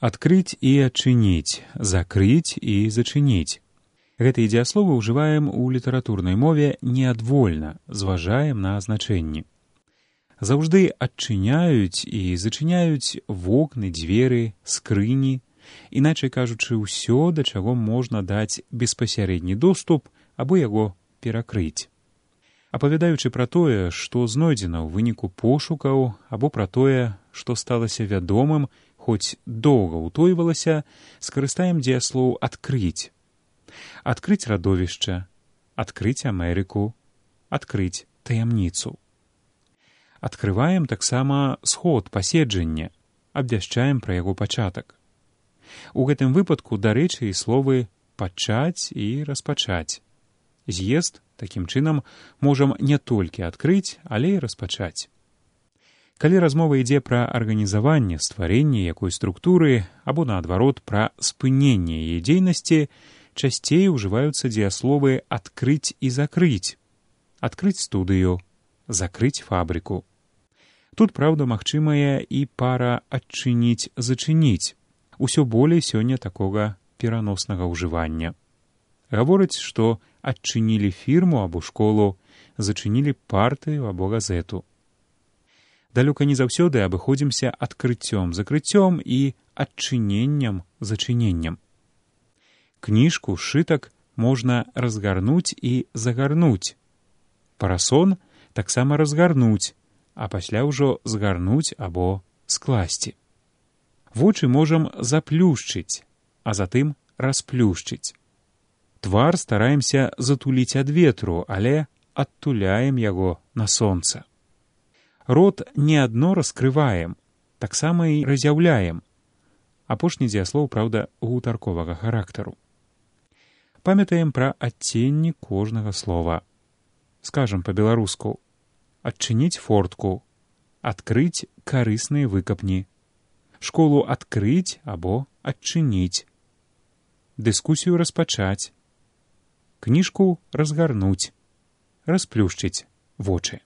Адкрыць і адчыніць, закрыць і зачыніць. Гэтыя дзеясловы ўжываем у літаратурнай мове неадвольна, зважаем на значэнні. Заўжды адчыняюць і зачыняюць вокны, дзверы, скрыні, іначай кажучы, ўсё, да чаго можна даць беспасярэдні доступ або яго перакрыць. Апавядаючы пра тое, што знойдзена ў выніку пошукаў, або пра тое, што сталася вядомым, хоць доўга ўтойвалася, скарыстаем дзеяслоў «адкрыць». Адкрыць радовішча, адкрыць Амерыку, адкрыць таямніцу. Адкрываем таксама сход паседжання, абвяшчаем пра яго пачатак. У гэтым выпадку, дарэчы, і словы «пачаць» і «распачаць». З'езд, такім чынам, можам не толькі адкрыць, але і распачаць. Калі размова ідзе пра арганізаванне, стварэнне якой структуры, або, наадварот, пра спыненне яе дзейнасці, часцей ужываюцца дзеясловы «адкрыць» і «закрыць». Адкрыць студыю, закрыць фабрыку. Тут, праўда, магчымая і пара «адчыніць-зачыніць». Усё болей сёння такога пераноснага ўжывання. Гавораць, што адчынілі фірму або школу, зачынілі партыю або газету. Далёка не заўсёды абыходзімся адкрыццём-закрыццём і адчыненнем-зачыненнем. Кніжку, сшытак можна разгарнуць і загарнуць. Парасон таксама разгарнуць, а пасля ўжо згарнуць або скласці. Вочы можам заплюшчыць, а затым расплюшчыць. Твар стараемся затуліць ад ветру, але адтуляем яго на сонца. Рот не адно раскрываем, таксама і разяўляем. Апошні дзеяслоў, праўда, гутарковага характару. Памятаем пра адценні кожнага слова. Скажам па-беларуску: адчыніць фортку, адкрыць карысныя выкапні, школу адкрыць або адчыніць, дыскусію распачаць, кніжку разгарнуць, расплюшчыць вочы.